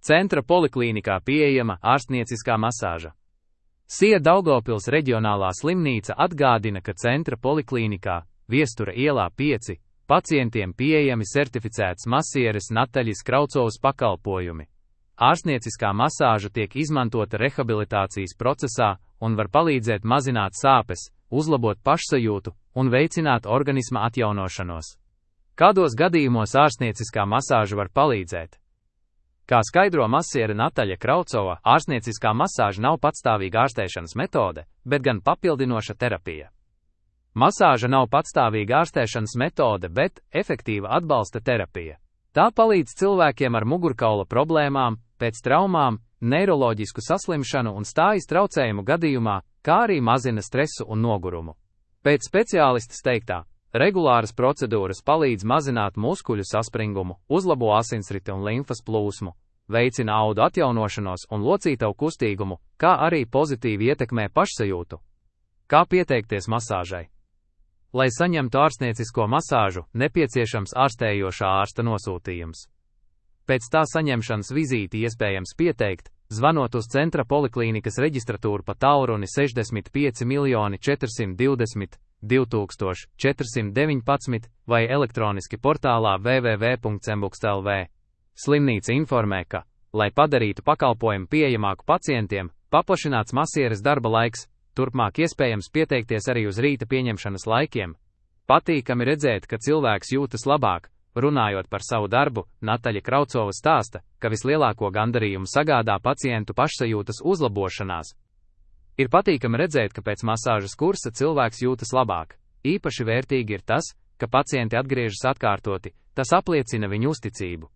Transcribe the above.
Centra poliklīnikā pieejama ārstnieciskā masāža. SIA Daugavpils reģionālā slimnīca atgādina, ka Centra poliklīnikā, Viestura ielā 5, pacientiem pieejami certificēts masieres Nataļas Kraucovas pakalpojumi. Ārstnieciskā masāža tiek izmantota rehabilitācijas procesā un var palīdzēt mazināt sāpes, uzlabot pašsajūtu un veicināt organisma atjaunošanos. Kādos gadījumos ārstnieciskā masāža var palīdzēt? Kā skaidro masiere Nataļa Kraucova, ārstnieciskā masāža nav patstāvīga ārstēšanas metode, bet gan papildinoša terapija. Masāža nav patstāvīga ārstēšanas metode, bet efektīva atbalsta terapija. Tā palīdz cilvēkiem ar mugurkaula problēmām, pēc traumām, neiroloģisku saslimšanu un stājas traucējumu gadījumā, kā arī mazina stresu un nogurumu. Pēc speciālistas teiktā, regulāras procedūras palīdz mazināt muskuļu saspringumu, uzlabo asinsriti un limfas plūsmu, veicina audu atjaunošanos un locītavu kustīgumu, kā arī pozitīvi ietekmē pašsajūtu. Kā pieteikties masāžai? Lai saņemtu ārstniecisko masāžu, nepieciešams ārstējošā ārsta nosūtījums. Pēc tā saņemšanas vizīti iespējams pieteikt, zvanot uz Centra poliklīnikas reģistratūru pa tālruni 65 420 2419 vai elektroniski portālā www.cembukst.lv. Slimnīca informē, ka, lai padarītu pakalpojumu pieejamāku pacientiem, paplašināts masieres darba laiks, turpmāk iespējams pieteikties arī uz rīta pieņemšanas laikiem. Patīkami redzēt, ka cilvēks jūtas labāk. Runājot par savu darbu, Nataļa Kraucova stāsta, ka vislielāko gandarījumu sagādā pacientu pašsajūtas uzlabošanās. Ir patīkami redzēt, ka pēc masāžas kursa cilvēks jūtas labāk. Īpaši vērtīgi ir tas, ka pacienti atgriežas atkārtoti, tas apliecina viņu uzticību.